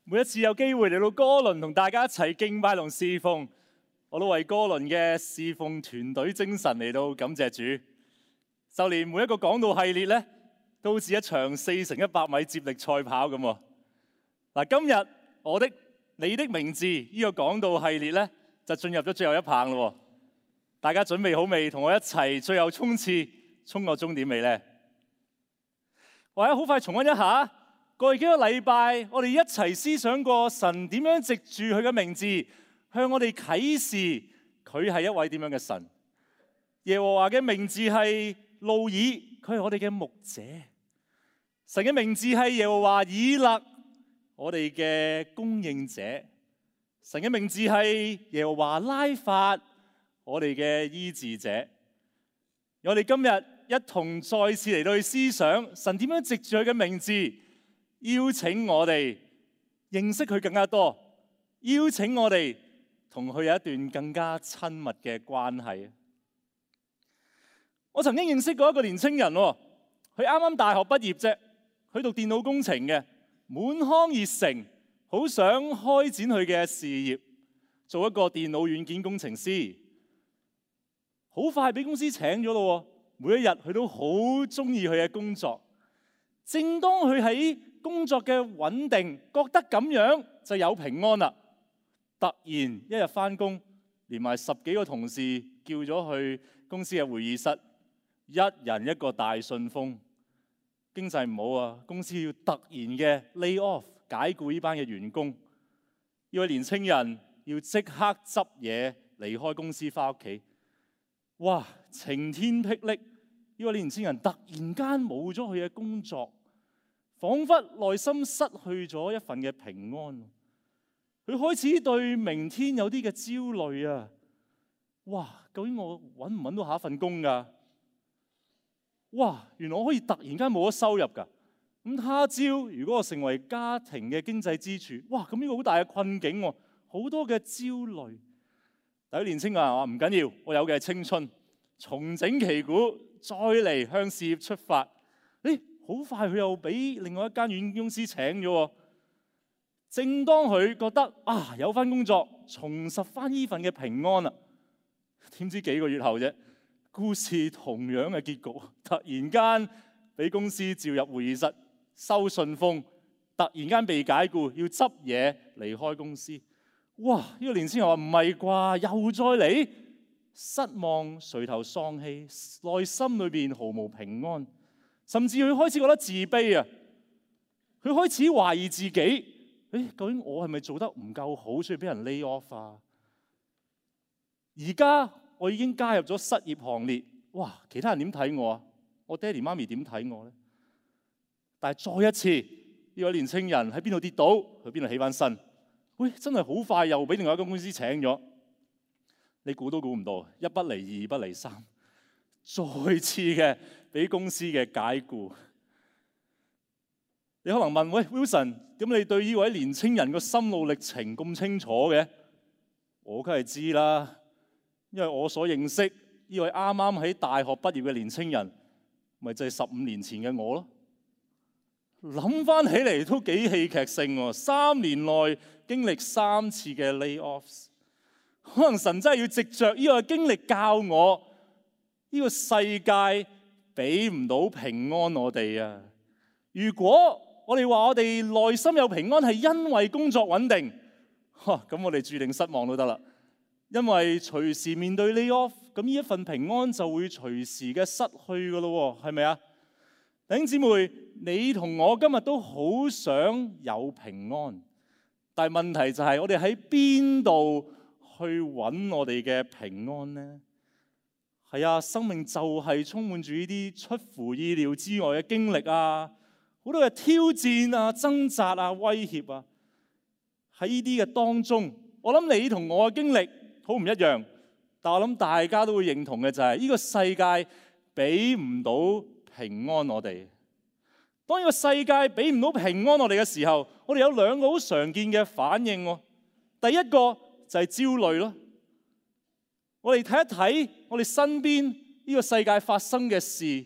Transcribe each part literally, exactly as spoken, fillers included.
每一次有機會嚟到哥倫同大家一齊敬拜同侍奉，我都為哥倫嘅侍奉團隊精神嚟到感謝主。就連每一個講道系列咧，都好似一場四乘一百米接力賽跑咁。嗱，今日我的你的名字呢個講道系列咧，就進入咗最後一棒咯。大家準備好未？同我一齊最後衝刺，衝過終點未呢？或者好快重溫一下。過去幾個禮拜，我哋一齊思想過神點樣藉住佢嘅名字向我哋啟示佢係一位點樣嘅神。耶和華嘅名字係路爾，佢係我哋嘅牧者。神嘅名字係耶和華以勒，我哋嘅供應者。神嘅名字係耶和華拉法，我哋嘅醫治者。我哋今日一同再次嚟到去思想神點樣藉住佢嘅名字邀請我哋認識佢更加多，邀請我哋同佢有一段更加親密嘅關係。我曾經認識過一個年青人，佢啱啱大學畢業啫，佢讀電腦工程嘅，滿腔熱誠，好想開展佢嘅事業，做一個電腦軟件工程師。好快俾公司請咗咯，每一日佢都好中意佢嘅工作。正當佢喺工作嘅穩定，覺得咁樣就有平安啦。突然一日返工，連埋十幾個同事叫咗去公司嘅會議室，一人一個大信封。經濟唔好啊，公司要突然嘅 lay off 解僱呢班嘅員工。呢位年青人要即刻執嘢離開公司返屋企。哇！晴天霹靂，呢位年青人突然間冇咗佢嘅工作。彷彿內心失去咗一份嘅平安，佢開始對明天有啲嘅焦慮啊！哇，究竟我揾唔揾到下一份工㗎？哇，原來我可以突然間冇咗收入㗎。咁他朝如果我成為家庭嘅經濟支柱，哇，咁呢個好大嘅困境喎，好多嘅焦慮。但係年青人話唔緊要，我有嘅係青春，重整旗鼓，再嚟向事業出發。誒！好快佢又俾另外一間軟件公司請咗。正當佢覺得啊有翻工作，重拾翻呢份嘅平安啦，點知幾個月後啫，故事同樣嘅結局，突然間俾公司召入會議室收信封，突然間被解僱，要執嘢離開公司。哇！呢個年輕人話唔係啩，又再嚟，失望垂頭喪氣，內心裏邊毫無平安。甚至佢開始覺得自卑啊！佢開始懷疑自己，誒，究竟我係咪做得唔夠好，所以俾人 lay off 啊？而家我已經加入咗失業行列，哇！其他人點睇我啊？我爹哋媽咪點睇我咧？但係再一次，呢個年青人喺邊度跌倒，去邊度起翻身？喂，真係好快又俾另外一間公司請咗。你估都估唔到，一不離二，二不離三。再次嘅俾公司嘅解僱。你可能問，喂 Wilson， 咁你對呢位年青人個心路歷程咁清楚嘅？我梗係知啦，因為我所認識呢位啱啱喺大學畢業嘅年青人，咪就係十五年前嘅我咯。諗翻起嚟都幾戲劇性喎，三年內經歷三次嘅 layoffs， 可能神真係要藉着呢個經歷教我。呢個世界俾唔到平安我哋啊！如果我哋話我哋內心有平安係因為工作穩定，咁我哋注定失望都得啦。因為隨時面對 lay off， 咁呢一份平安就會隨時嘅失去噶咯，係咪啊？弟兄姊妹，你同我今日都好想有平安，但係問題就係我哋喺邊度去揾我哋嘅平安呢？係啊，生命就係充滿住呢啲出乎意料之外嘅經歷啊，好多嘅挑戰啊、掙扎啊、威脅啊。喺呢啲嘅當中，我諗你同我嘅經歷好唔一樣，但我諗大家都會認同嘅就係呢個世界俾唔到平安我哋。當呢個世界俾唔到平安我哋嘅時候，我哋有兩個好常見嘅反應喎。第一個就係焦慮咯。我哋睇一睇我哋身邊呢個世界發生嘅事，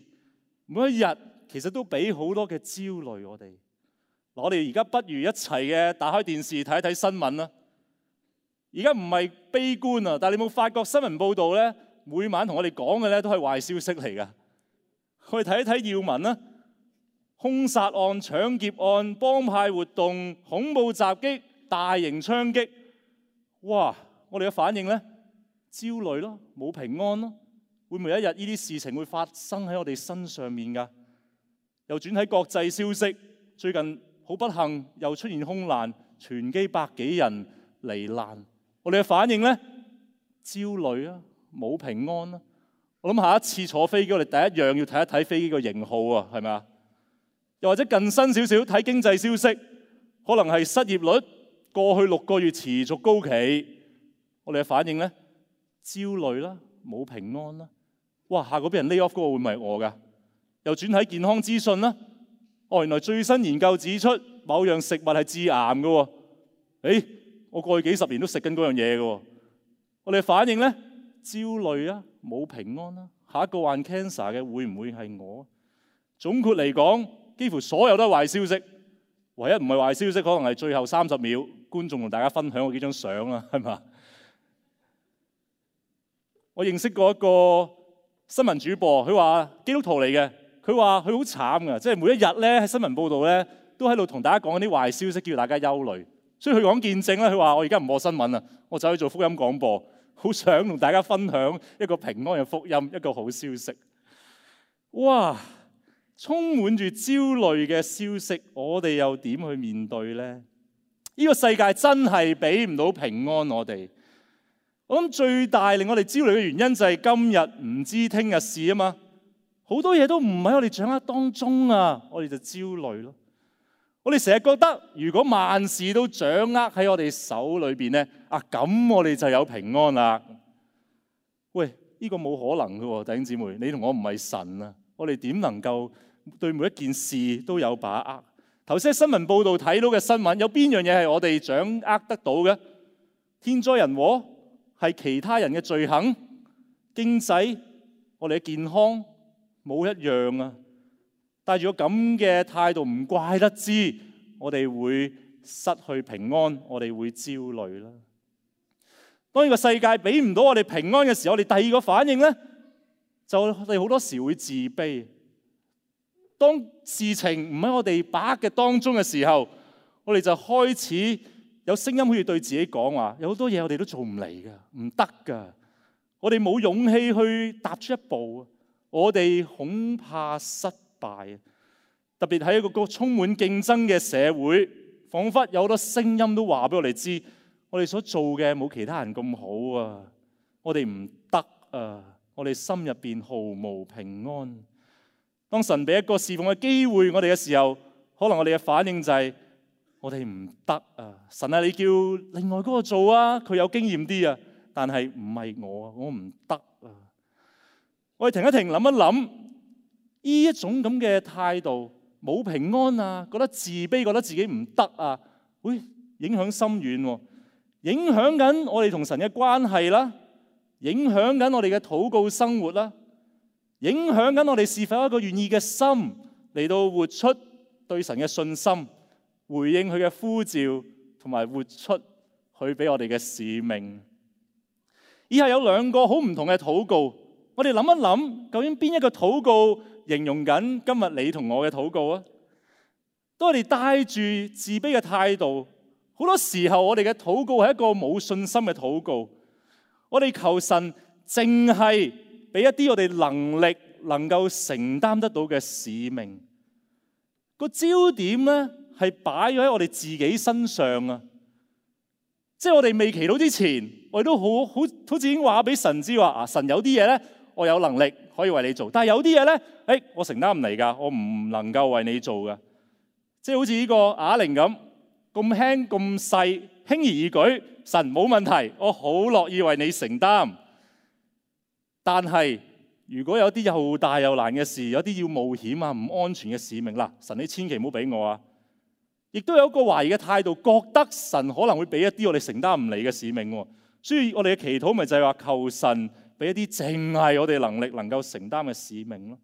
每一日其實都俾好多嘅焦慮我哋。我哋而家不如一齊嘅打開電視睇一睇新聞啦。而家唔係悲觀啊，但係你有冇發覺新聞報導咧，每晚同我哋講嘅咧都係壞消息嚟㗎。我哋睇一睇要聞啦，兇殺案、搶劫案、幫派活動、恐怖襲擊、大型槍擊，哇！我哋嘅反應咧，焦慮咯，冇平安咯。會唔會有一日呢啲事情會發生喺我哋身上面㗎？又轉喺國際消息，最近好不幸又出現空難，全機百幾人罹難。我哋嘅反應咧，焦慮啊，冇平安啊。我諗下一次坐飛機，我哋第一樣要睇一睇飛機個型號啊，係咪啊？又或者更新少少睇經濟消息，可能係失業率過去六個月持續高企。我哋嘅反應咧，焦慮啦，冇平安啦。哇！下個俾人 lay off 嗰個會唔係我㗎？又轉睇健康資訊啦。哦，原來最新研究指出某樣食物係致癌㗎喎。誒，我過去幾十年都食緊嗰樣嘢㗎喎。我哋嘅反應咧，焦慮啊，冇平安啦。下一個患 cancer 嘅會唔會係我？總括嚟講，幾乎所有都係壞消息。唯一唔係壞消息，可能係最後三十秒，觀眾同大家分享嗰幾張相啦，係嘛？我認識過一個新聞主播，佢話基督徒嚟嘅，佢話佢好慘㗎，即係每一日咧喺新聞報導咧都喺度同大家講啲壞消息，叫大家憂慮。所以佢講見證咧，佢話我而家唔播新聞啦，我走去做福音廣播，好想同大家分享一個平安嘅福音，一個好消息。哇！充滿住焦慮嘅消息，我哋又點去面對呢？呢個世界真係俾唔到平安我哋。我諗最大令我哋焦慮嘅原因就係今日唔知聽日事啊嘛，好多嘢都唔喺我哋掌握當中啊，我哋就焦慮咯。我哋成日覺得如果萬事都掌握喺我哋手裏邊咧，啊咁我哋就有平安啦。喂，呢個冇可能㗎喎，弟兄姊妹，你同我唔係神啊，我哋點能夠對每一件事都有把握？頭先喺新聞報道睇到嘅新聞，有邊樣嘢係我哋掌握得到嘅？天災人禍？係其他人嘅罪行？經濟？我哋嘅健康？冇一樣啊！帶住個咁嘅態度，唔怪得知我哋會失去平安，我哋會焦慮啦。當呢個世界俾唔到我哋平安嘅時候，我哋第二個反應咧，就我哋好多時會自卑。當事情唔喺我哋把握嘅當中嘅時候，我哋就開始有聲音好似對自己講話，有好多嘢我哋都做唔嚟㗎，唔得㗎。我哋冇勇氣去踏出一步，我哋恐怕失敗。特別喺一個充滿競爭嘅社會，彷彿有好多聲音都話俾我哋知，我哋所做嘅冇其他人咁好啊，我哋唔得啊，我哋心入邊毫無平安。當神俾一個侍奉嘅機會我哋嘅時候，可能我哋嘅反應就係我哋唔得啊！神啊，你叫另外嗰個做啊，佢有經驗啲啊，但係唔係我啊，我唔得啊！我哋停一停，諗一諗，呢一種咁嘅態度，冇平安啊，覺得自卑，覺得自己唔得啊，會影響深遠喎，影響緊我哋同神嘅關係啦，影響緊我哋嘅禱告生活啦。影響緊我哋是否有一個願意嘅心嚟到活出對神嘅信心，回應佢嘅呼召，同埋活出佢俾我哋嘅使命。以下有兩個好唔同嘅禱告，我哋諗一諗，究竟邊一個禱告形容緊今日你同我嘅禱告啊？當我哋帶住自卑嘅態度，好多時候我哋嘅禱告係一個冇信心嘅禱告。我哋求神淨係俾一啲我哋能力能夠承擔得到嘅使命，個焦點咧係擺咗喺我哋自己身上啊！即係我哋未祈禱之前，我哋都好好好似已經話俾神知話啊，神有啲嘢咧，我有能力可以為你做，但係有啲嘢咧，誒我承擔唔嚟㗎，我唔能夠為你做㗎。即係好似呢個啞鈴咁，咁輕咁細，輕而易舉，神冇問題，我好樂意為你承擔。但係，如果有啲又大又難嘅事，有啲要冒險啊、唔安全嘅使命啦，神你千祈唔好俾我啊！亦都有一個懷疑嘅態度，覺得神可能會俾一啲我哋承擔唔嚟嘅使命喎。所以我哋嘅祈禱咪就係話求神俾一啲淨係我哋能力能夠承擔嘅使命咯。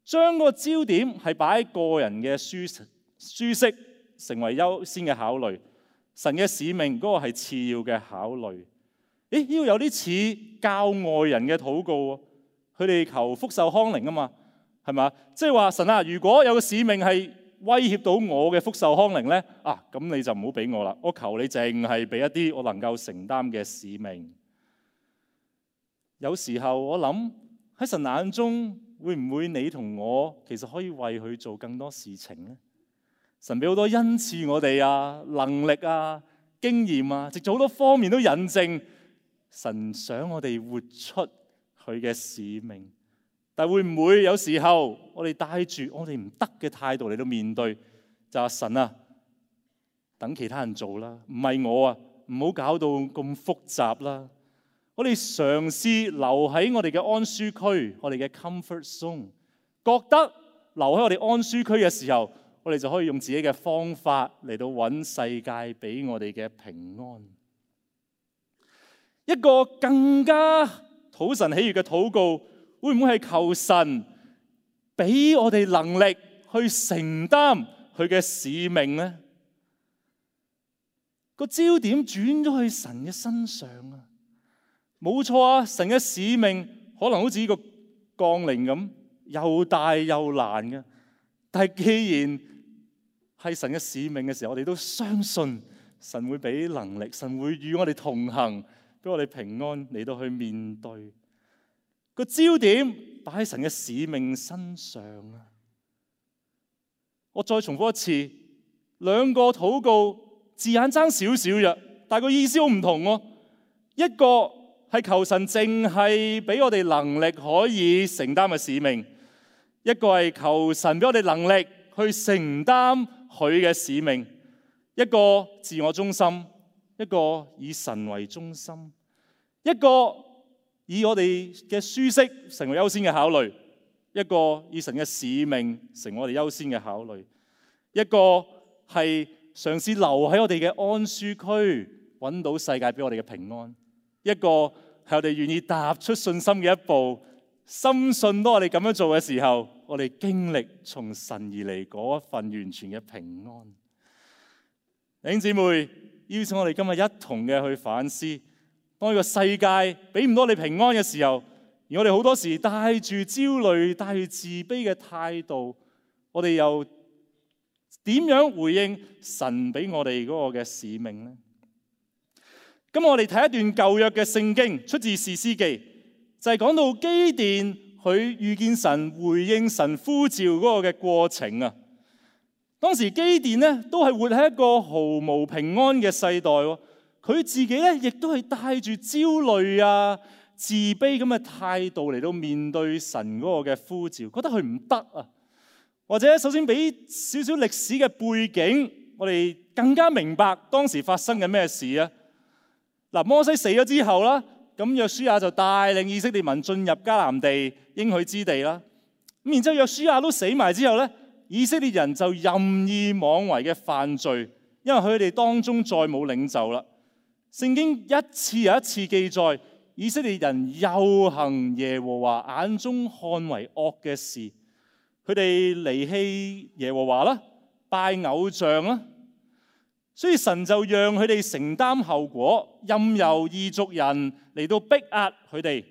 將個焦點係擺喺個人嘅舒舒適、成為優先嘅考慮，神嘅使命嗰個係次要嘅考慮。誒，呢個有啲似教外人嘅禱告喎，佢哋求福壽康寧啊嘛，係嘛？即係話神啊，如果有個使命係威脅到我嘅福壽康寧咧，啊咁你就唔好俾我啦，我求你淨係俾一啲我能夠承擔嘅使命。有時候我諗喺神眼中，會唔會你同我其實可以為佢做更多事情呢？神俾好多恩賜我哋啊，能力啊，經驗啊，直做好多方面都引證神想我哋活出佢嘅使命。但會唔會有時候我哋帶住我哋唔得嘅態度嚟到面對，就話神啊，等其他人做啦，唔係我啊，唔好搞到咁複雜啦。我哋嘗試留喺我哋嘅安舒區，我哋嘅 comfort zone， 覺得留喺我哋安舒區嘅時候，我哋就可以用自己嘅方法嚟到揾世界俾我哋嘅平安。一個更加討神喜悅嘅禱告，會唔會係求神俾我哋能力去承擔佢嘅使命呢？個焦點轉咗去神嘅身上啊！冇錯啊，神嘅使命可能好似呢個降臨咁，又大又難嘅。但係既然係神嘅使命嘅時候，我哋都相信神會俾能力，神會與我哋同行，俾我哋平安嚟到去面對。個焦點擺喺神嘅使命身上啊！我再重複一次，兩個禱告字眼爭少少嘅，但係個意思好唔同喎。一個係求神淨係俾我哋能力可以承擔嘅使命，一個係求神俾我哋能力去承擔佢嘅使命。一個自我中心，一個以神為中心，一個以我哋嘅舒適成為優先嘅考慮，一個以神嘅使命成為我哋優先嘅考慮，一個係嘗試留喺我哋嘅安舒區，揾到世界俾我哋嘅平安。一個係我哋願意踏出信心嘅一步，深信當我哋咁樣做嘅時候，我哋經歷從神而嚟嗰一份完全嘅平安。弟兄姊妹，邀請我哋今日一同嘅去反思，當呢個世界俾唔到你平安嘅時候，而我哋好多時帶住焦慮、帶住自卑嘅態度，我哋又點樣回應神俾我哋嗰個嘅使命呢？咁我哋睇一段舊約嘅聖經，出自士師記，就係講到基甸佢遇見神、回應神呼召嗰個嘅過程啊。當時基甸呢都係活喺一個毫無平安嘅世代，佢自己咧亦都係帶住焦慮啊、自卑咁嘅態度嚟到面對神嗰個嘅呼召，覺得佢唔得啊。或者首先俾少少歷史嘅背景，我哋更加明白當時發生緊咩事啊。嗱，摩西死咗之後啦，咁約書亞就帶領以色列民進入迦南地應許之地啦。咁然之後約書亞都死埋之後咧，以色列人就任意妄為嘅犯罪，因為佢哋當中再冇領袖啦。聖經一次又一次記載，以色列人又行耶和華眼中看為惡嘅事，佢哋離棄耶和華啦，拜偶像啦。所以神就讓佢哋承擔後果，任由異族人嚟到逼壓佢哋。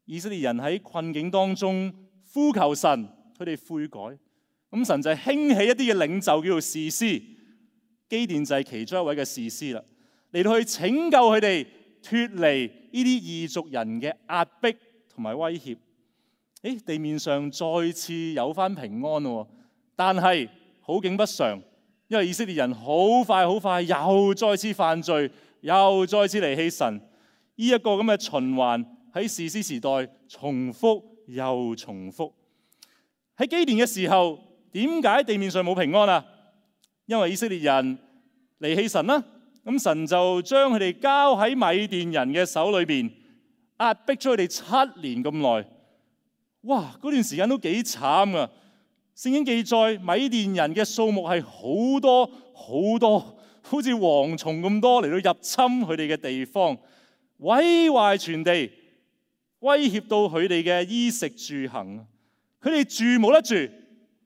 以色列人喺困境當中呼求神，佢哋悔改。咁神就興起一啲嘅領袖，叫做士師。基甸就係其中一位嘅士師啦，嚟到去拯救佢哋脫離呢啲異族人嘅壓迫同埋威脅。誒，地面上再次有翻平安咯，但係好景不常。因為以色列人好快好快又再次犯罪，又再次離棄神，呢、這、一個咁嘅循環喺士師時代重複又重複。喺基甸嘅時候，點解地面上冇平安啊？因為以色列人離棄神啦，咁神就將佢哋交喺米甸人嘅手裏邊，壓迫咗佢哋七年咁耐。哇！嗰段時間都幾慘啊！聖經記載，米甸人嘅數目係好多好多，好似蝗蟲咁多嚟到入侵佢哋嘅地方，毀壞全地，威脅到佢哋嘅衣食住行。佢哋住冇得住，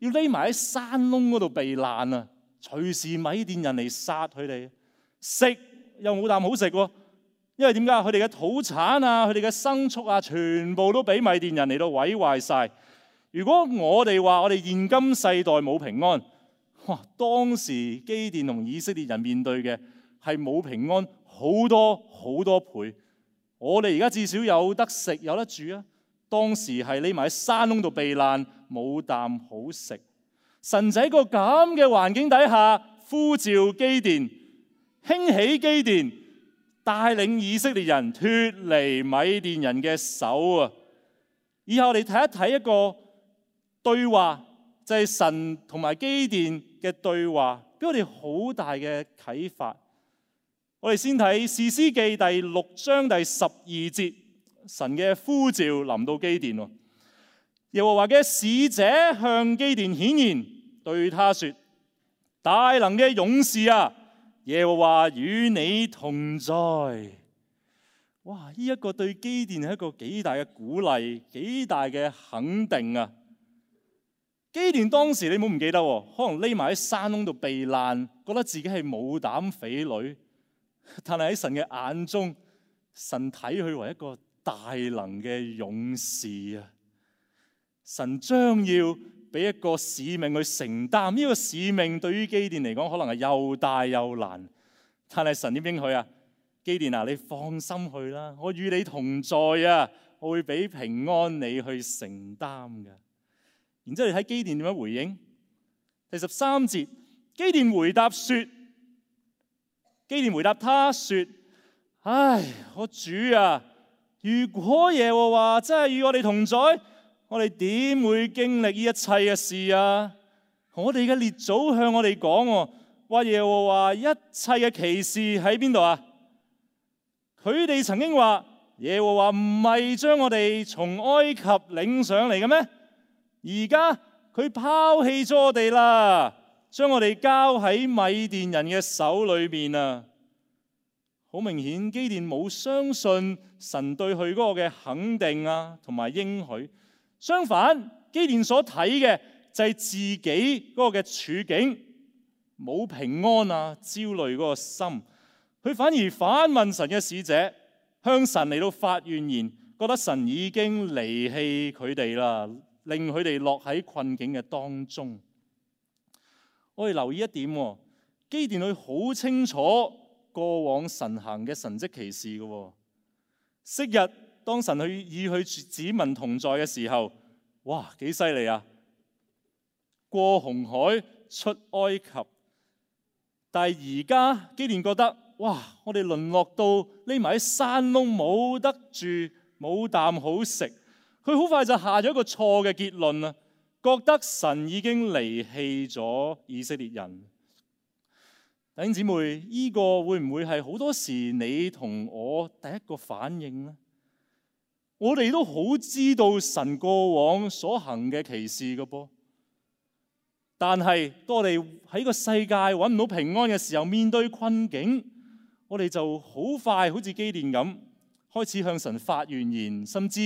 要匿埋喺山窿嗰度避難啊！隨時米甸人嚟殺佢哋，食又冇啖好食喎。因為點解？佢哋嘅土產啊，佢哋嘅牲畜啊，全部都俾米甸人嚟到毀壞晒。如果我哋話我哋現今世代冇平安，哇！當時基甸同以色列人面對嘅係冇平安好多好多倍。我哋而家至少有得食有得住啊，當時係匿埋喺山窿度避難，冇啖好食。神就喺個咁嘅環境底下呼召基甸，興起基甸，帶領以色列人脫離米甸人嘅手啊！以後我哋睇一睇一個對話，就係神同埋基甸嘅對話，俾我哋好大嘅啟發。我哋先睇士師記第六章第十二節，神嘅呼召臨到基甸。耶和華嘅使者向基甸顯現，對他說：大能嘅勇士啊，耶和華與你同在。哇！呢一個對基甸係一個幾大嘅鼓勵，幾大嘅肯定啊！基甸當時你唔好唔記得，可能匿埋喺山窿度避難，覺得自己係冇膽匪類。但係喺神嘅眼中，神睇佢為一個大能嘅勇士啊！神將要俾一個使命去承擔，呢個使命對於基甸嚟講，可能係又大又難。但係神點應許啊？基甸啊，你放心去啦，我與你同在啊，我會俾平安你去承擔嘅。然之後你睇基甸點樣回應？第十三節，基甸回答說。基甸回答他說：唉，我主啊，如果耶和華真係與我哋同在，我哋點會經歷呢一切嘅事啊？我哋嘅列祖向我哋講，話耶和華一切嘅奇事喺邊度啊？佢哋曾經話耶和華唔係將我哋從埃及領上嚟嘅咩？而家佢拋棄咗我哋啦，將我哋交喺米甸人嘅手裏面啊！好明顯，基甸冇相信神對佢嗰個嘅肯定啊，同埋應許。相反，基甸所睇嘅就係自己嗰個嘅處境，冇平安啊，焦慮嗰個心。佢反而反問神嘅使者，向神嚟到發怨言，覺得神已經離棄佢哋啦，令佢哋落喺困境嘅當中。我哋留意一點，基甸佢好清楚過往神行嘅神蹟奇事嘅。昔日當神去與佢子民同在嘅時候，哇，幾犀利啊！過紅海出埃及。但係而家基甸覺得，哇，我哋淪落到匿埋喺山窿，冇得住，冇啖好食。佢好快就下咗一個錯嘅結論啊，覺得神已經離棄咗以色列人。弟兄姊妹，呢個會唔會係好多時你同我第一個反應呢？我哋都好知道神過往所行嘅奇事嘅噃，但係當我哋喺個世界揾唔到平安嘅時候，面對困境，我哋就好快好似基甸咁，開始向神發怨言，甚至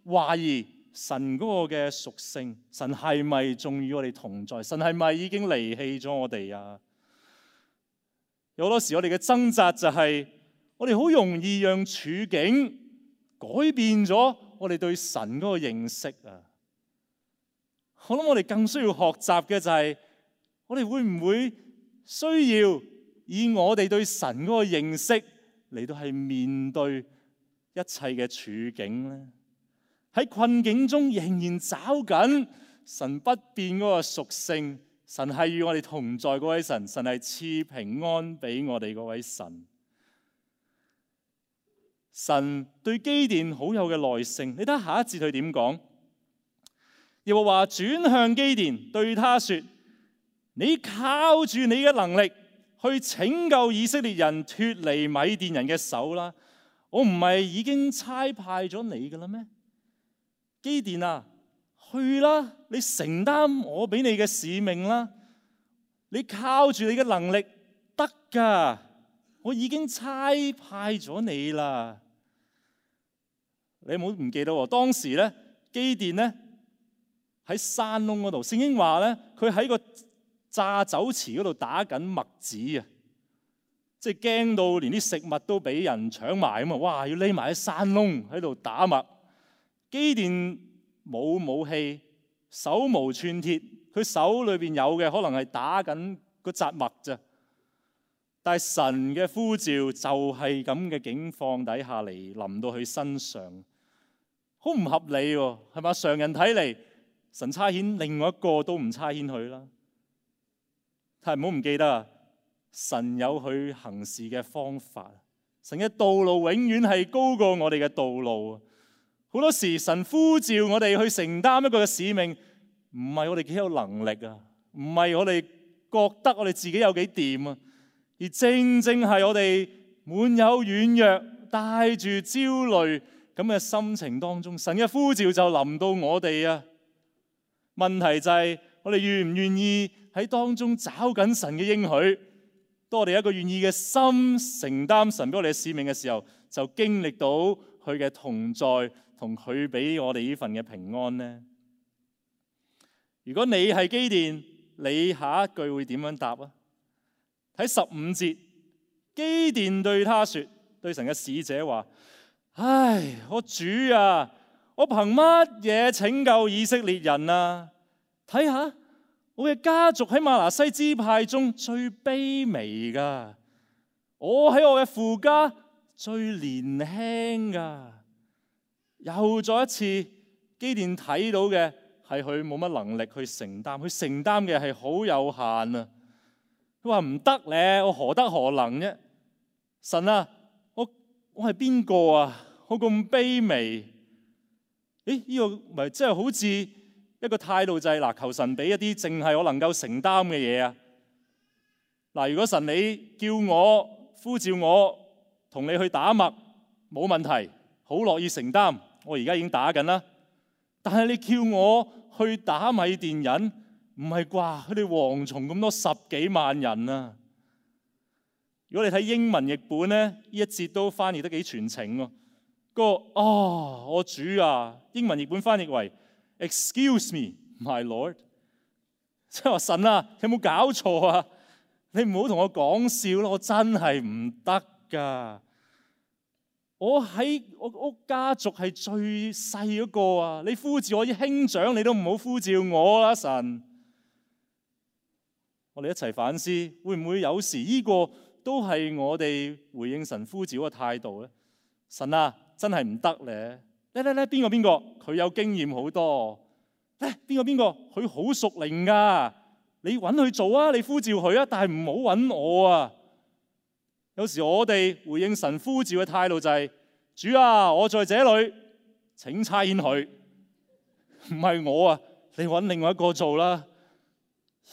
懷疑神嗰個嘅屬性，神係咪仲與我哋同在？神係咪已經離棄咗我哋啊？有好多時我哋嘅掙扎就係，我哋好容易讓處境改變咗我哋對神嗰個認識啊！我諗我哋更需要學習嘅就係，我哋會唔會需要以我哋對神嗰個認識嚟到係面對一切嘅處境咧？喺困境中仍然找緊神不變嗰個屬性。神係與我哋同在嗰位神，神係賜平安俾我哋嗰位神。神對基甸好有嘅耐性，你睇下下一節佢點講？耶和華轉向基甸，對他說：你靠住你嘅能力去拯救以色列人脫離米甸人嘅手啦。我唔係已經差派咗你㗎啦咩？基甸啊！去啦！你承擔我俾你嘅使命啦！你靠住你嘅能力得㗎，我已經差派咗你啦。你唔好唔記得喎，當時咧基甸咧喺山窿嗰度，聖經話咧佢喺個榨酒池嗰度打緊麥子啊！即係驚到連啲食物都俾人搶埋咁啊！哇，要匿埋喺山窿喺度打麥。基甸冇武器，手無寸鐵，佢手裏邊有嘅可能係打緊嗰紮麥咋。但係神嘅呼召就係咁嘅境況底下嚟臨到佢身上，好唔合理喎，係嘛？常人睇嚟，神差遣另外一個都唔差遣佢啦。但係唔好唔記得啊！神有佢行事嘅方法，神嘅道路永遠係高過我哋嘅道路。好多時神呼召我哋去承擔一個嘅使命，唔係我哋幾有能力啊，唔係我哋覺得我哋自己有幾掂啊，而正正係我哋滿有軟弱、帶住焦慮咁嘅心情當中，神嘅呼召就臨到我哋啊。問題就係我哋願唔願意喺當中找緊神嘅應許。當我哋一個願意嘅心承擔神俾我哋嘅使命嘅時候，就經歷到佢嘅同在，同佢俾我哋呢份嘅平安呢。如果你係基甸，你下一句會點樣答啊？睇十五節，基甸對他說，對神嘅使者話：唉，我主啊，我憑乜嘢拯救以色列人啊？睇下。我嘅家族喺瑪拿西支派中最卑微噶，我喺我嘅父家最年輕噶。又再一次，基甸睇到嘅係佢冇乜能力去承擔，佢承擔嘅係好有限啊。佢話唔得咧，我何德何能啫？神啊，我我係邊個啊？我咁卑微。誒，呢個咪真係好似一個態度就係嗱，求神俾一啲淨係我能夠承擔嘅嘢啊！嗱，如果神你叫我呼召我同你去打麥，冇問題，好樂意承擔。我而家已經打緊啦。但係你叫我去打米甸人，唔係啩？佢哋蝗蟲咁多，十幾萬人啊！如果你睇英文譯本咧，呢一節都翻譯得幾全程喎。個哦，我主啊，英文譯本翻譯為Excuse me, my Lord， 即係話神啊，你有冇搞錯啊？你唔好同我講笑咯，我真係唔得噶。我喺我屋家族係最細嗰個啊！你呼召我啲兄長，你都唔好呼召我啦，神。我哋一齊反思，會唔會有時呢個都係我哋回應神呼召嘅態度咧？神啊，真係唔得咧！咧咧咧，邊個邊個？佢有經驗好多。咧，邊個邊個？佢好熟靈噶。你揾佢做啊，你呼召佢啊，但係唔好揾我啊。有時我哋回應神呼召嘅態度就係：主啊，我在這裏，請差遣佢。唔係我啊，你揾另外一個做啦。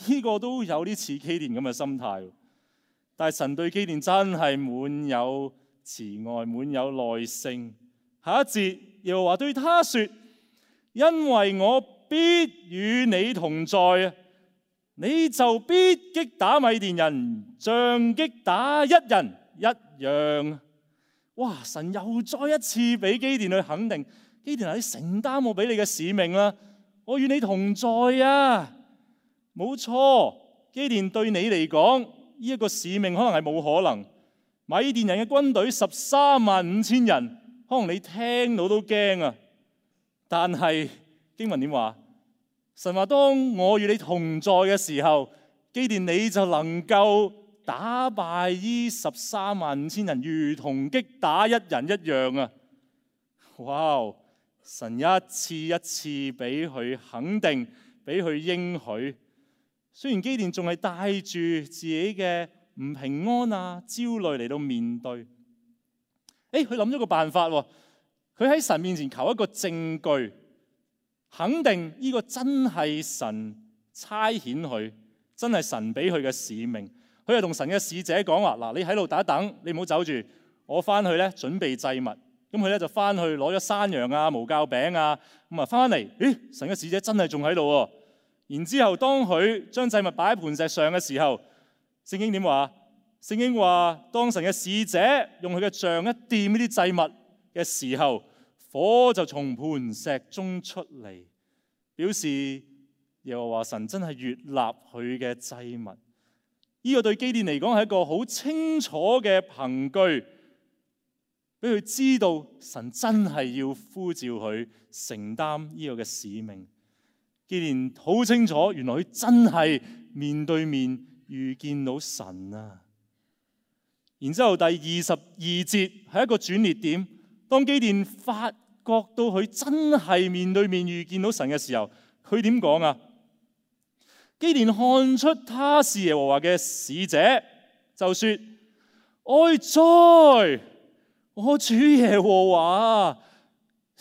呢個都有啲似基甸咁嘅心態。但係神對基甸真係滿有慈愛，滿有耐性。下一節又話對他說：因為我必與你同在啊，你就必擊打米甸人，像擊打一人一樣。哇！神又再一次俾基甸去肯定，基甸，你承擔我俾你嘅使命啦，我與你同在啊。冇錯，基甸對你嚟講，呢一個使命可能係冇可能。米甸人嘅軍隊十三萬五千人。可能你聽到都驚啊！但係經文點話？神話當我與你同在嘅時候，基甸你就能夠打敗呢十三萬五千人，如同擊打一人一樣啊！哇！神一次一次俾佢肯定，俾佢應許。雖然基甸仲係帶住自己嘅唔平安啊、焦慮嚟到面對。誒，佢諗咗個辦法喎，佢喺神面前求一個證據，肯定呢個真係神差遣佢，真係神俾佢嘅使命。佢就同神嘅使者講話：嗱，你喺度等一等，你唔好走住，我翻去咧準備祭物。咁佢咧就翻去攞咗山羊啊、無酵餅啊，咁啊翻嚟，咦，神嘅使者真係仲喺度喎。然之後當佢將祭物擺喺磐石上嘅時候，聖經點話？聖經話，當神嘅使者用佢嘅杖一掂呢啲祭物嘅時候，火就從磐石中出嚟，表示耶和華神真係悅納佢嘅祭物。呢、這個對基甸嚟講係一個好清楚嘅憑據，俾佢知道神真係要呼召佢承擔呢個嘅使命。基甸好清楚，原來佢真係面對面遇見到神啊！然之後第二十二節係一個轉捩點，當基甸發覺到佢真係面對面遇見到神嘅時候，佢點講啊？基甸看出他是耶和華嘅使者，就說：哀哉！我主耶和華，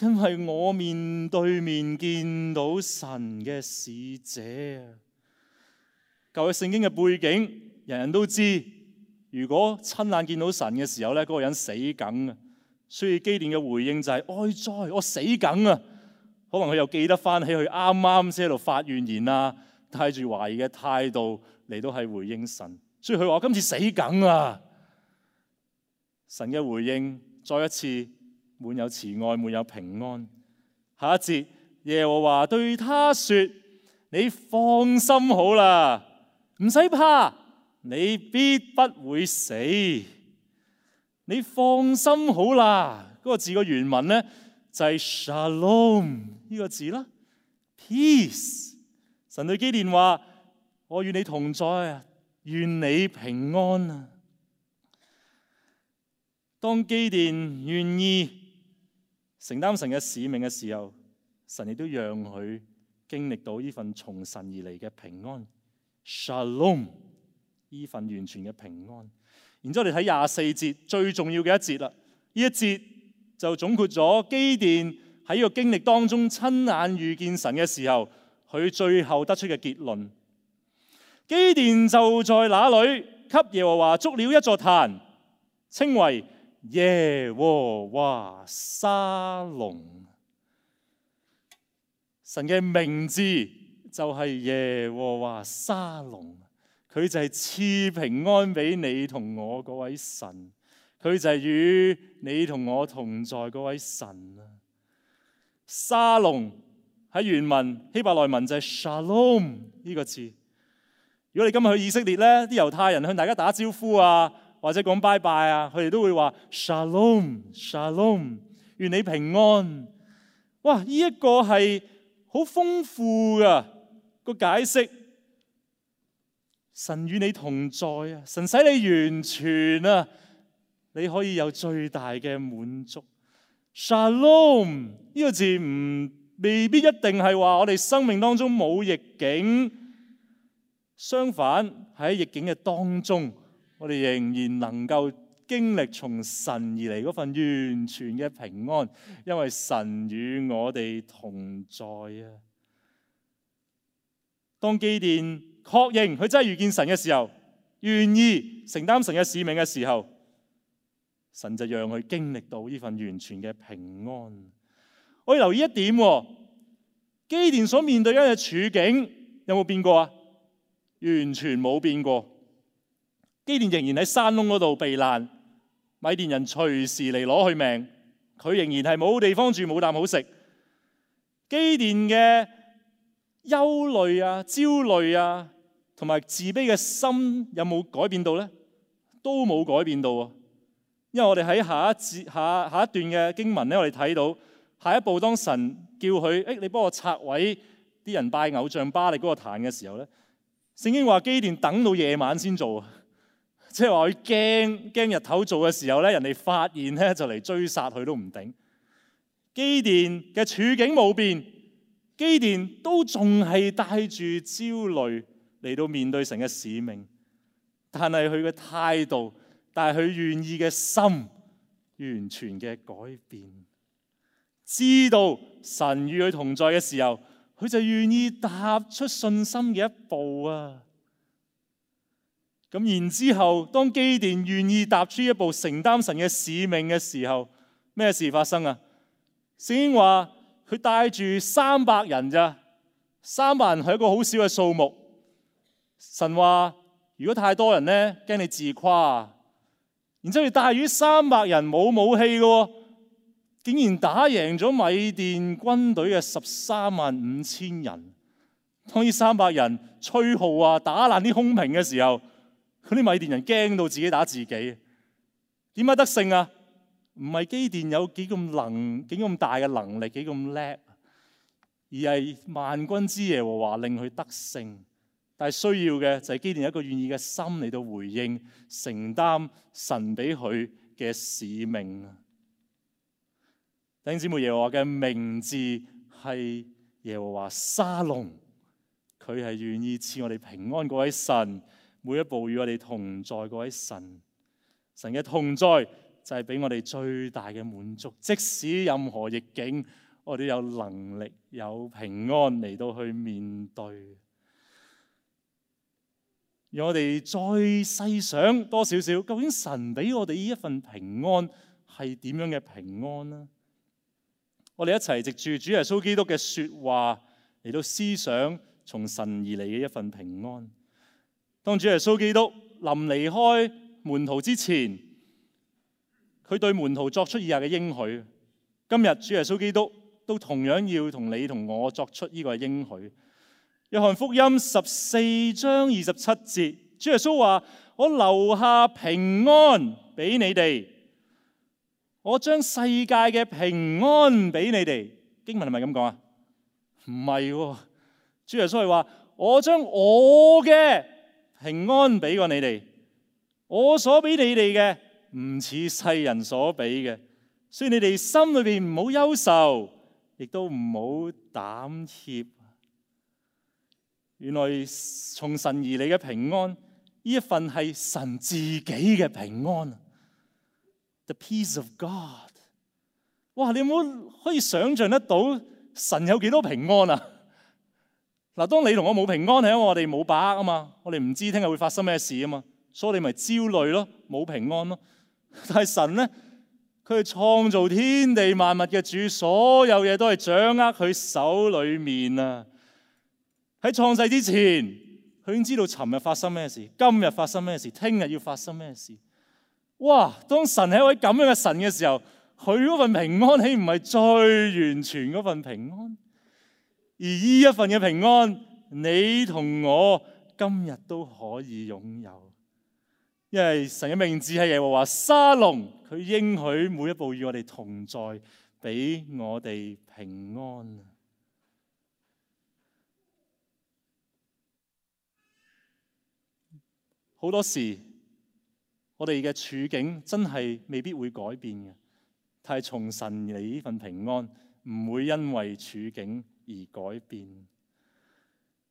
因為我面對面見到神嘅使者啊！舊約聖經嘅背景，人人都知，如果親眼見到神嘅時候咧，嗰、那個人死梗啊！所以基甸嘅回應就係、是：哀哉！我死梗啊！可能佢又記得翻起佢啱啱先喺度發怨言啊，帶住懷疑嘅態度嚟到係回應神，所以佢話：我今次死梗啊！神嘅回應再一次滿有慈愛，滿有平安。下一節，耶和華對他說：你放心好啦，唔使怕，你必不會死。你放心好啦，嗰、那個字個原文咧就係 Shalom 呢個字啦 ，peace。神對基甸話：我與你同在啊，願你平安啊！當基甸願意承擔神嘅使命嘅時候，神亦都讓佢經歷到呢份從神而嚟嘅平安 ，Shalom， 呢份完全嘅平安。然之後我哋睇廿四節最重要嘅一節啦，呢一節就總括咗基甸喺呢個經歷當中親眼遇見神嘅時候，佢最後得出嘅結論。基甸就在那裏給耶和華築了一座壇，稱為耶和華沙龍。神嘅名字就係耶和華沙龍，佢就係賜平安俾你同我嗰位神，佢就係與你同我同在嗰位神啊！沙龍喺原文希伯來文就係 Shalom 呢個字。如果你今日去以色列咧，啲猶太人向大家打招呼啊，或者講拜拜啊，佢哋都會話 Shalom Shalom， 願你平安。哇！呢一個係好豐富噶個解釋。神與你同在啊，神使你完全啊，你可以有最大嘅滿足。Shalom 呢個字唔未必一定係話我哋生命當中冇逆境，相反喺逆境嘅當中，我哋仍然能夠經歷從神而嚟嗰份完全嘅平安，因為神與我哋同在啊。當基甸確認佢真係遇見神嘅時候，願意承擔神嘅使命嘅時候，神就讓佢經歷到呢份完全嘅平安。我要留意一點，基甸所面對嘅處境有冇變過啊？完全冇變過。基甸仍然喺山窿嗰度避難，米甸人隨時嚟攞佢命，佢仍然係冇地方住，冇啖好食。基甸嘅憂慮啊、焦慮啊，同埋自卑嘅心有冇改變到呢？都冇改變到啊！因為我哋喺下一節下下一段嘅經文咧，我哋睇到下一步，當神叫佢，誒，你幫我拆毀啲人拜偶像巴力嗰個壇嘅時候咧，聖經話基甸等到夜晚先做啊，即係話佢驚驚日頭做嘅時候咧，人哋發現咧就嚟追殺佢都唔定。基甸嘅處境冇變，基甸都仲係帶住焦慮嚟到面對神嘅使命，但係佢嘅態度，但係佢願意嘅心，完全嘅改變。知道神與佢同在嘅時候，佢就願意踏出信心嘅一步啊！咁然之後，當基甸願意踏出一步承擔神嘅使命嘅時候，咩事發生啊？聖經話佢帶住三百人咋，三百人係一個好少嘅數目。神話如果太多人咧，驚你自誇。然之後佢帶住三百人冇武器嘅，竟然打贏咗米甸軍隊嘅十三萬五千人。當呢三百人吹號啊，打爛啲空瓶嘅時候，嗰啲米甸人驚到自己打自己。點解得勝啊？唔係基甸有幾咁能，幾咁大嘅能力，幾咁叻，而係萬軍之耶和華令佢得勝。但係需要嘅就係基甸一個願意嘅心嚟到回應，承擔神俾佢嘅使命。弟兄姊妹，耶和華嘅名字係耶和華沙龍，佢係願意賜我哋平安嗰位神，每一步與我哋同在嗰位神。神嘅同在就係俾我哋最大嘅滿足，即使任何逆境，我哋有能力有平安嚟到去面對。讓我哋再細想多少少，究竟神俾我哋呢一份平安係點樣嘅平安呢？我哋一齊藉住主耶穌基督嘅說話嚟到思想從神而嚟嘅一份平安。當主耶穌基督臨離開門徒之前，佢對門徒作出以下嘅應許。今日主耶穌基督都同樣要同你同我作出呢個應許。約翰福音十四章二十七節，主耶穌話：我留下平安俾你哋，我將世界嘅平安俾你哋。經文係咪咁講啊？唔係喎，主耶穌係話：我將我嘅平安俾過你哋，我所俾你哋嘅唔似世人所俾嘅，所以你哋心裏邊唔好憂愁，亦都唔好膽怯。原來從神而嚟嘅平安，呢一份係神自己嘅平安。The peace of God。哇！你有冇可以想象得到神有幾多平安啊？嗱，當你同我冇平安，係因為我哋冇把握啊嘛，我哋唔知聽日會發生咩事啊嘛，所以你咪焦慮咯，冇平安咯。但係神咧，佢係創造天地萬物嘅主，所有嘢都係掌握佢手裏面啊。喺創世之前，佢已經知道尋日發生咩事，今日發生咩事，聽日要發生咩事。哇！當神係一位咁樣嘅神嘅時候，佢嗰份平安豈唔係最完全嗰份平安？而呢一份嘅平安，你同我今日都可以擁有，因為神嘅名字係耶和華沙龍，佢應許每一步與我哋同在，俾我哋平安。好多時，我哋嘅處境真係未必會改變嘅，但係從神嚟呢份平安，唔會因為處境而改變。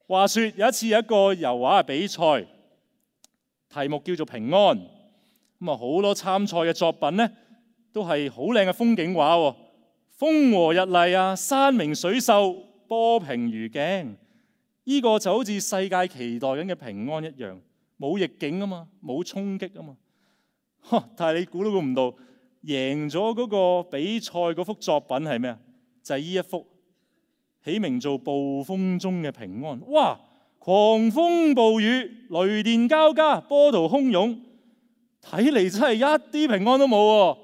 話說有一次有一個油畫嘅比賽，題目叫做平安。咁啊，好多參賽嘅作品呢，都係好靚嘅風景畫，風和日麗啊，山明水秀，波平如鏡。呢個就好似世界期待緊嘅平安一樣。冇逆境啊嘛，冇衝擊啊嘛，但係你估都估唔到，贏咗嗰個比賽嗰幅作品係咩啊？就係呢一幅，起名做暴風中嘅平安。哇！狂風暴雨，雷電交加，波濤洶湧，睇嚟真係一啲平安都冇喎。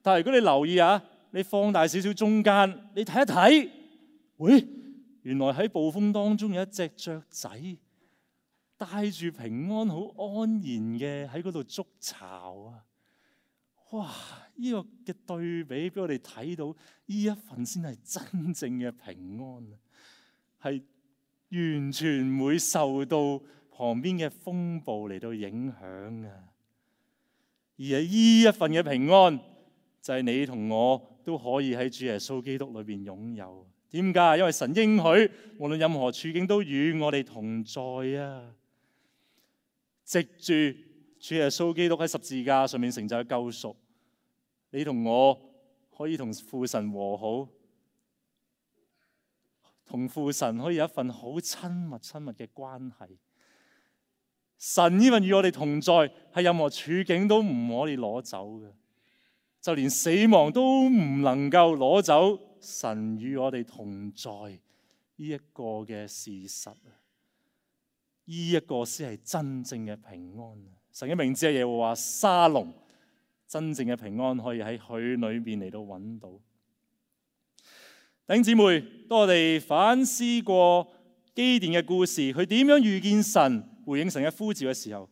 但係如果你留意下，你放大少少中間，你睇一睇，喂，原來喺暴風當中有一隻雀仔，帶住平安好安然嘅喺嗰度築巢啊！哇！呢個嘅對比俾我哋睇到，呢一份先係真正嘅平安，係完全唔會受到旁邊嘅風暴嚟到影響啊！而係呢一份嘅平安，就係你同我都可以喺主耶穌基督裏邊擁有。點解？因為神應許，無論任何處境都與我哋同在啊！藉住主耶穌基督喺十字架上面成就嘅救贖，你同我可以同父神和好，同父神可以有一份好親密親密嘅關係。神呢份與我哋同在，係任何處境都唔可以攞走嘅，就連死亡都唔能夠攞走神與我哋同在呢一個嘅事實。呢一個先係真正嘅平安。神嘅名字係耶和華沙龍，真正嘅平安可以喺佢裏邊嚟到揾到。弟兄姊妹，當我哋反思過基甸嘅故事，佢點樣遇見神、回應神嘅呼召嘅時候，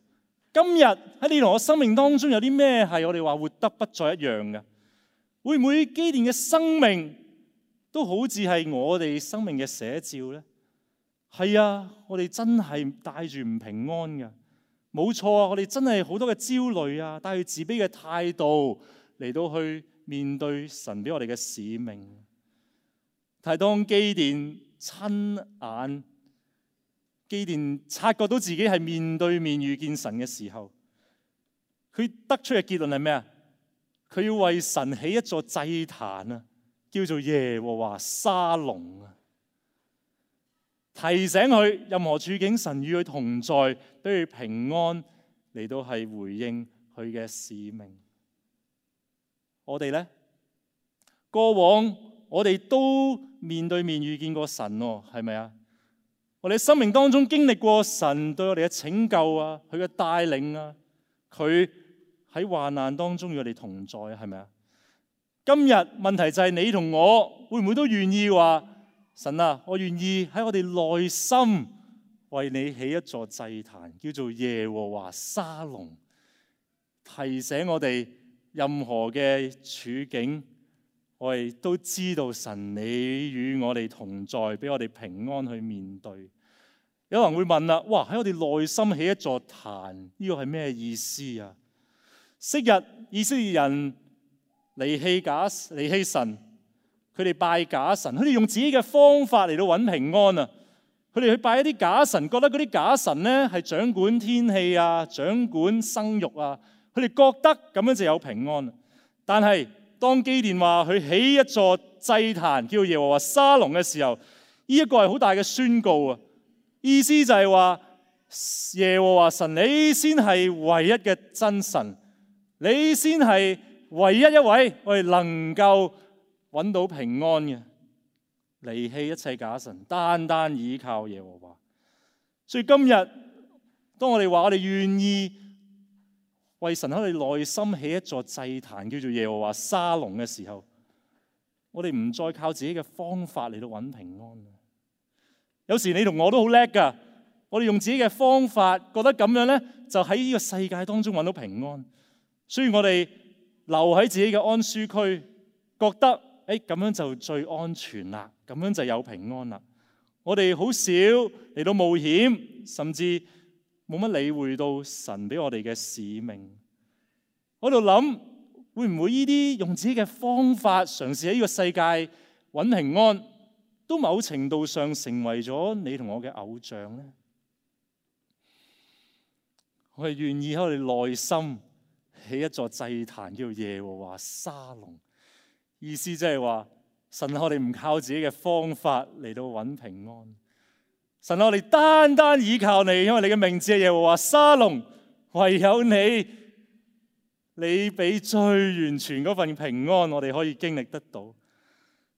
今日喺你同我生命當中有啲咩係我哋話活得不再一樣嘅？會唔會基甸嘅生命都好似係我哋生命嘅寫照呢？係啊，我哋真係帶住唔平安嘅，冇錯啊！我哋真係好多嘅焦慮啊，帶住自卑嘅態度嚟到去面對神俾我哋嘅使命。但係當基甸親眼，基甸察覺到自己係面對面遇見神嘅時候，佢得出嘅結論係咩啊？佢要為神起一座祭壇啊，叫做耶和華沙龍啊。提醒佢任何處境，神與佢同在，俾佢平安嚟到係回應佢嘅使命。我哋呢，過往我哋都面對面遇見過神喎，係咪啊？我哋生命當中經歷過神對我哋嘅拯救啊，佢嘅帶領啊，佢喺患難當中與我哋同在，係咪啊？今日問題就係你同我會唔會都願意話，神啊，我願意喺我哋內心為你起一座祭壇，叫做耶和華沙龍，提醒我哋任何嘅處境，我哋都知道神你與我哋同在，俾我哋平安去面對。有人會問啦，哇，喺我哋內心起一座壇，呢個係咩意思啊？昔日以色列人離棄假離棄神，佢哋拜假神，佢哋用自己嘅方法嚟到揾平安啊！佢哋去拜一啲假神，覺得嗰啲假神呢係掌管天氣啊，掌管生育啊，佢哋覺得咁樣就有平安。但係當基甸話佢起一座祭壇叫耶和華沙龍嘅時候，呢一個係好大嘅宣告啊！意思就係話耶和華神，你先係唯一嘅真神，你先係唯一一位我哋能夠揾到平安嘅，離棄一切假神，單單倚靠耶和華。所以今日當我哋話我哋願意為神喺我哋內心起一座祭壇叫做耶和華沙龍嘅時候，我哋唔再靠自己嘅方法嚟到揾平安。有時你同我都好叻噶，我哋用自己嘅方法，覺得咁樣呢，就喺呢個世界當中揾到平安。所以我哋留喺自己嘅安舒區，覺得誒咁樣就最安全啦，咁樣就有平安啦。我哋好少嚟到冒險，甚至冇乜理會到神俾我哋嘅使命。我喺度諗，會唔會呢啲用自己嘅方法嘗試喺呢個世界揾平安，都某程度上成為咗你同我嘅偶像呢？我係願意喺我哋內心起一座祭壇，叫耶和華沙龍。意思即係話，神我哋唔靠自己嘅方法嚟到揾平安。神我哋單單倚靠你，因為你嘅名字係耶和華沙龍，唯有你，你俾最完全嗰份平安，我哋可以經歷得到。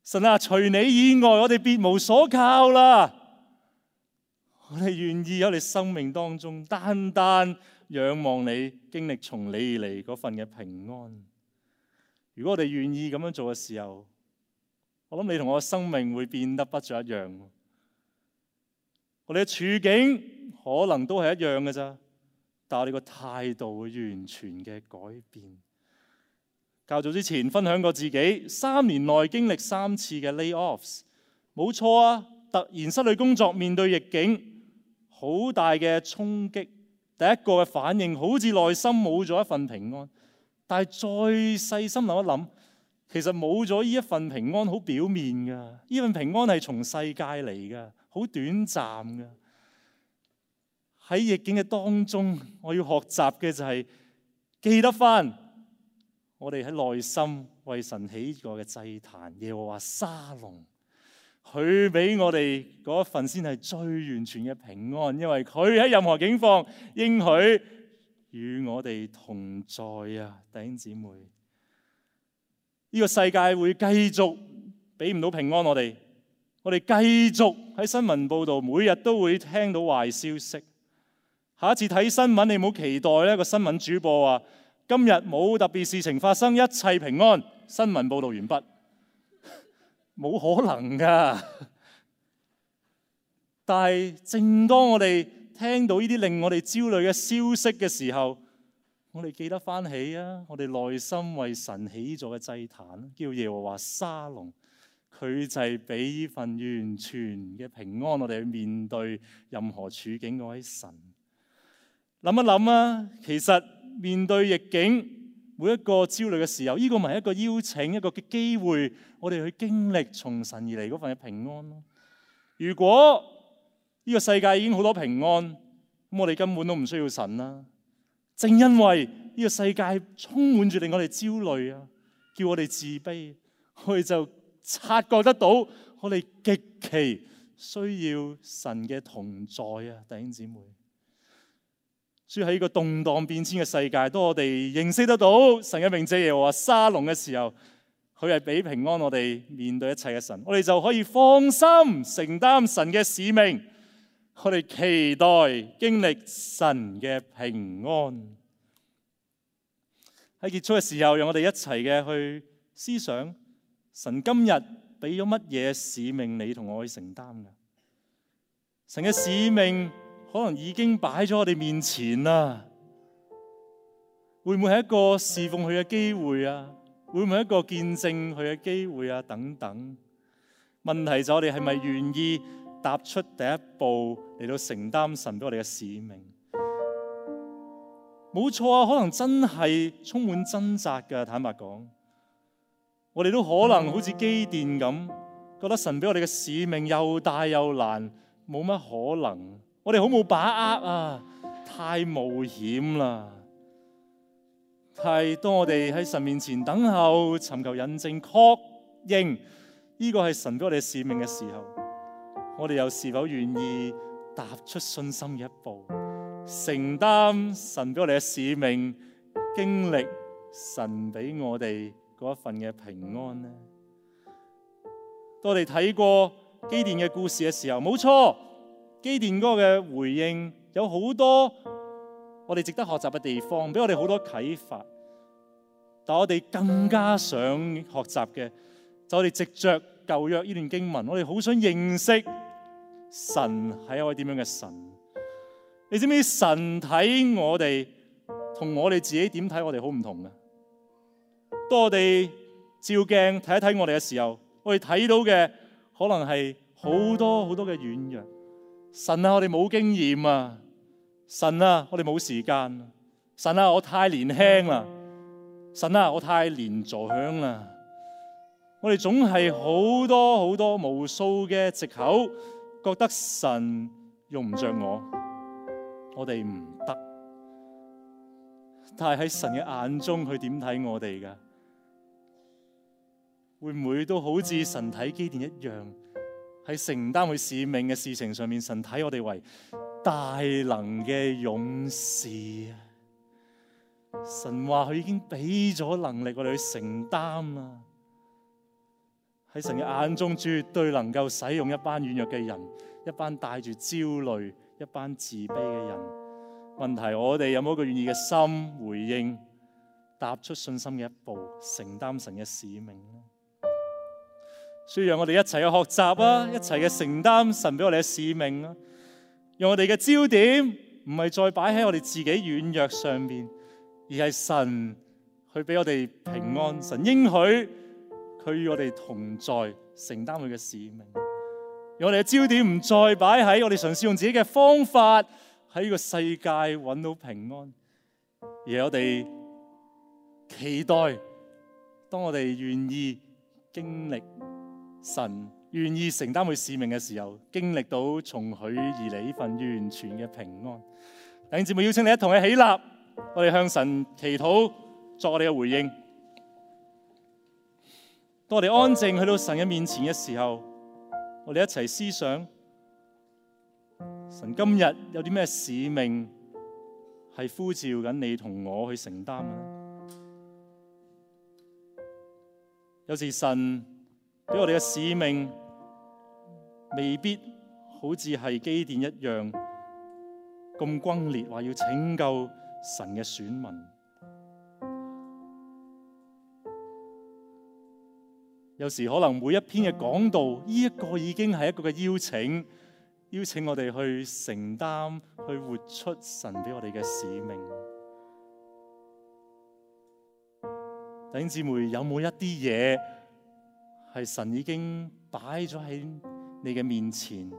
神啊，除你以外，我哋別無所靠啦。我哋願意喺我哋生命當中單單仰望你，經歷從你而嚟嗰份嘅平安。如果我哋願意咁樣做嘅時候，我諗你同我嘅生命會變得不再一樣。我哋嘅處境可能都係一樣嘅咋，但係我哋個態度會完全嘅改變。較早之前分享過自己三年內經歷三次嘅 layoffs， 冇錯啊，突然失去工作，面對逆境，好大嘅衝擊。第一個嘅反應好似內心冇咗一份平安，但係再細心諗一諗，其實冇咗呢一份平安好表面噶，呢份平安係從世界嚟噶，好短暫噶。喺逆境嘅當中，我要學習嘅就係記得翻。我哋喺內心為神起過嘅祭壇，耶和華沙龍，佢俾我哋嗰一份先係最完全嘅平安，因為佢喺任何境況應許與我哋同在啊！弟兄姊妹，呢個世界會繼續俾唔到平安我哋，我哋繼續喺新聞報道每日都會聽到壞消息。下一次睇新聞，你唔好期待呢個新聞主播話今日冇特別事情發生，一切平安。新聞報道完畢，冇可能噶。但係正當我哋聽到呢啲令我哋焦慮嘅消息嘅時候，我哋記得翻起啊，我哋內心為神起咗嘅祭壇，叫耶和華沙龍，佢就係俾呢份完全嘅平安，我哋去面對任何處境嗰位神。諗一諗啊，其實面對逆境，每一個焦慮嘅時候，呢個咪係一個邀請，一個嘅機會，我哋去經歷從神而嚟嗰份嘅平安咯。如果呢個世界已經好多平安，咁我哋根本都唔需要神啦。正因為呢個世界充滿住令我哋焦慮啊，叫我哋自卑，我哋就察覺得到我哋極其需要神嘅同在啊，弟兄姊妹。所以喺呢個動盪變遷嘅世界，當我哋認識得到神嘅名字耶和華沙龍嘅時候，佢係俾平安我哋面對一切嘅神，我哋就可以放心承擔神嘅使命。我哋期待經歷神嘅平安。喺結束嘅時候，讓我哋一齊嘅去思想，神今日俾咗乜嘢使命你同我去承擔嘅？神嘅使命可能已經擺咗我哋面前啦，會唔會係一個侍奉佢嘅機會啊？會唔會係一個見證佢嘅機會啊？等等。問題就我哋係咪願意踏出第一步嚟到承擔神俾我哋嘅使命？冇錯啊，可能真係充滿掙扎㗎。坦白講，我哋都可能好似基甸咁，覺得神俾我哋嘅使命又大又難，冇乜可能。我哋好冇把握啊，太冒險啦。但係當我哋喺神面前等候、尋求印證、確認呢個係神俾我哋嘅使命嘅時候，我哋又是否願意踏出信心嘅一步，承擔神俾我哋嘅使命，經歷神俾我哋嗰一份嘅平安呢？當我哋睇過基甸嘅故事嘅時候，冇錯，基甸嗰個嘅回應有好多我哋值得學習嘅地方，俾我哋好多啟發。但我哋更加想學習嘅，就我哋藉着舊約呢段經文，我哋好想認識神係一位點樣嘅神。你知唔知神睇我哋同我哋自己點睇我哋好唔同嘅？當我哋照鏡睇一睇我哋嘅時候，我哋睇到嘅可能係好多好多嘅軟弱。神啊，我哋冇經驗啊！神啊，我哋冇時間。神啊，我太年輕啦！神啊，我太年長啦！我哋總係好多好多無數嘅藉口，覺得神用唔着我，我哋唔得。但係喺神嘅眼中，佢點睇我哋㗎？會唔會都好似神睇基甸一樣，喺承擔佢使命嘅事情上面，神睇我哋為大能嘅勇士啊！神話佢已經俾咗能力我哋去承擔啦。喺神嘅眼中，絕對能夠使用一班軟弱嘅人，一班帶住焦慮、一班自卑嘅人。問題我哋有冇一個願意嘅心回應，踏出信心嘅一步，承擔神嘅使命呢？所以讓我哋一齊去學習啊，一齊嘅承擔神俾我哋嘅使命啊！讓我哋嘅焦點唔係再擺喺我哋自己軟弱上面，而係神去俾我哋平安。神應許佢與我哋同在，承擔佢嘅使命。讓我哋嘅焦點唔再擺喺我哋嘗試用自己嘅方法喺呢個世界揾到平安，而係我哋期待當我哋願意經歷神，願意承擔佢使命嘅時候，經歷到從佢而嚟呢份完全嘅平安。弟兄姊妹，邀請你一同去起立，我哋向神祈禱，作我哋嘅回應。當我哋安靜去到神嘅面前嘅時候，我哋一齊思想，神今日有啲咩使命係呼召緊你同我去承擔呢？有時神俾我哋嘅使命未必好似係基甸一樣咁轟烈，話要拯救神嘅選民。有時可能每一篇嘅講道，呢一個已經係一個嘅邀請，邀請我哋去承擔，去活出神俾我哋嘅使命。弟兄姊妹，有冇一啲嘢係神已經擺咗喺你嘅面前？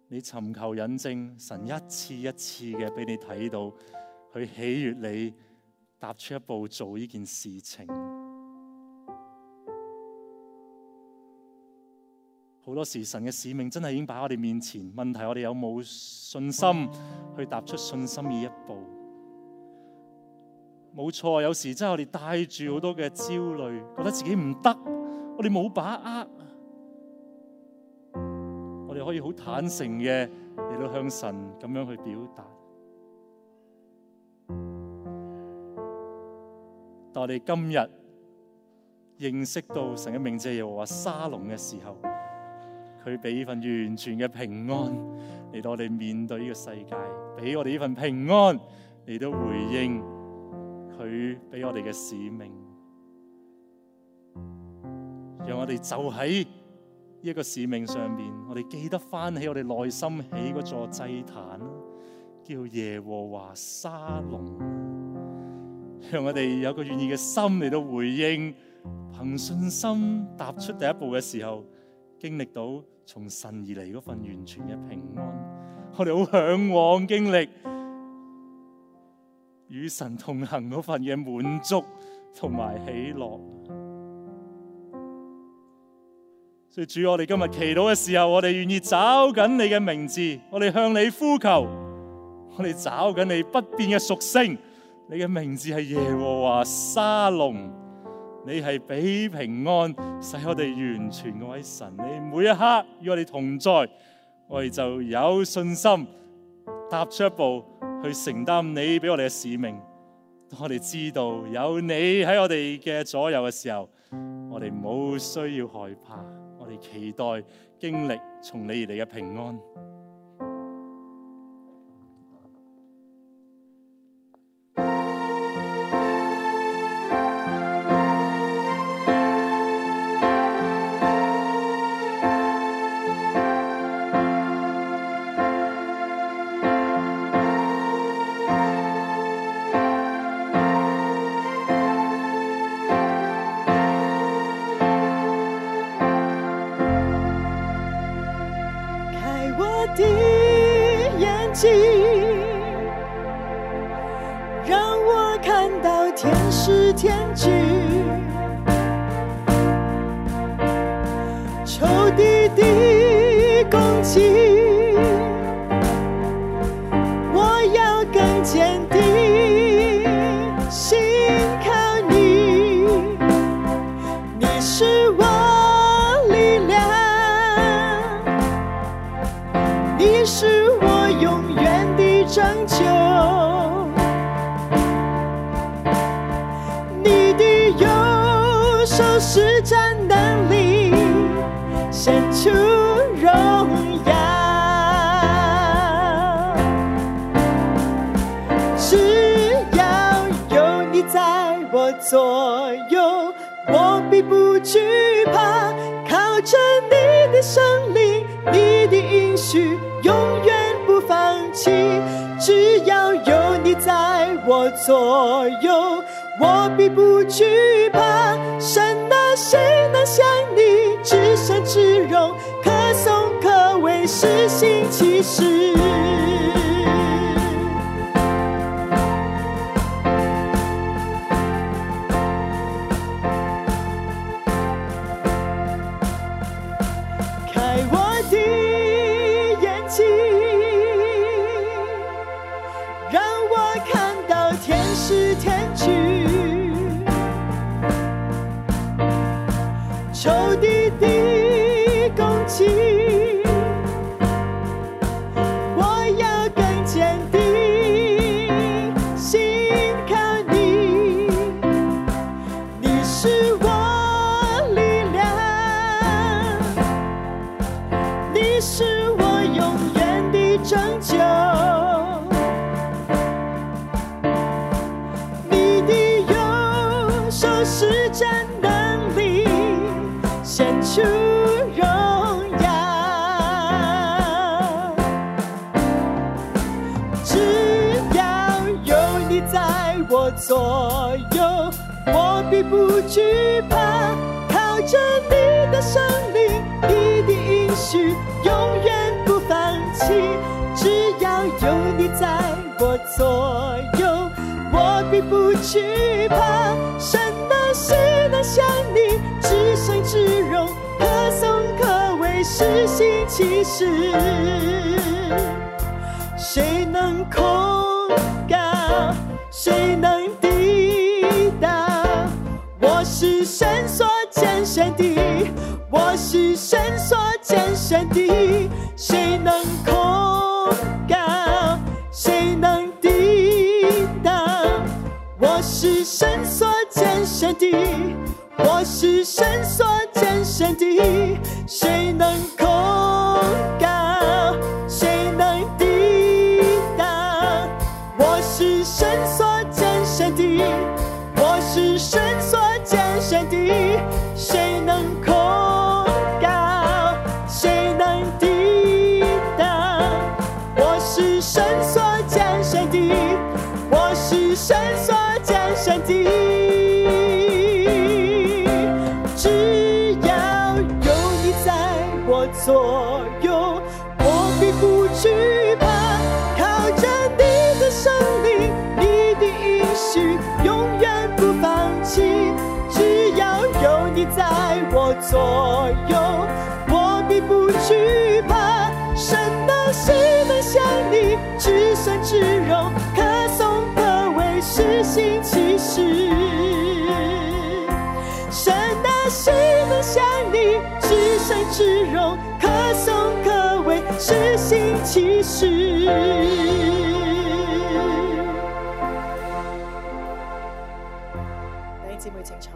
你尋求引證，神一次一次嘅俾你睇到，去喜悅你踏出一步做呢件事情。好多時神嘅使命真係已經擺喺我哋面前，問題我哋有冇信心去踏出信心呢一步？冇錯，有時真係我哋帶住好多嘅焦慮，覺得自己唔得，我哋冇把握。我哋可以好坦誠嘅嚟到向神咁樣去表達。但我哋今日認識到神嘅名字耶和華沙龍嘅時候，佢俾呢份完全嘅平安嚟到我哋面對呢個世界，俾我哋呢份平安嚟到回應佢俾我哋嘅使命，讓我哋就喺呢一個使命上面，我哋記得翻起我哋內心起嗰座祭壇，叫耶和華沙龍，讓我哋有個願意嘅心嚟到回應，憑信心踏出第一步嘅時候，經歷到從神而嚟嗰份完全嘅平安。我哋好向往經歷與神同行嗰份嘅滿足同埋喜樂。所以主，我哋今日祈禱嘅時候，我哋願意找緊你嘅名字，我哋向你呼求，我哋找緊你不變嘅屬性。你嘅名字係耶和華沙龍，你係俾平安，使我哋完全嗰位神。你每一刻與我哋同在，我哋就有信心踏出一步去承擔你俾我哋嘅使命。當我哋知道有你喺我哋嘅左右嘅時候，我哋冇需要害怕，我哋期待經歷從你而嚟嘅平安。让我看到天使天军，仇敌的攻击，我要更坚定，信靠你，你是我力量，你是我永远的拯救，你的右手施展能力，显出荣耀，只要有你在我左右，我必不惧怕，靠着你的圣灵，你的应许永远不放弃，只要有你在我左右，我必不惧怕，神啊，谁能像你至圣至荣，可颂可畏，施行奇事。开我的眼睛，让我看到天使天军，仇敌的攻击，我要更坚定，信靠你，你是我力量，你是我永远的拯救，你的右手施展能力，显出荣耀，右，我必不惧怕。靠着你的圣灵，你的应许永远不放弃。只要有你在我左右，我必不惧怕。神的事能向你至圣至荣，可颂可畏，施行其事。谁能控告？谁能抵挡？我是神所拣选的，我是神所拣选的。谁能控告？谁能抵挡？我是神所拣选的，我是神所拣选的。谁能控告？谁能抵挡？我是神所拣选的，我是神所拣选的。谁能控告？谁能抵挡？我是神所拣选的，我是神所拣选的。只要有你在我左右，我必不惧怕。靠着你的圣灵，你的应许永远不放弃。只要有你在我左右，我必不惧怕。神的事能向你至圣至荣，可颂可畏，施行其事。神的事能向你至圣至荣，可颂可畏，施行其事。弟兄姊妹請坐。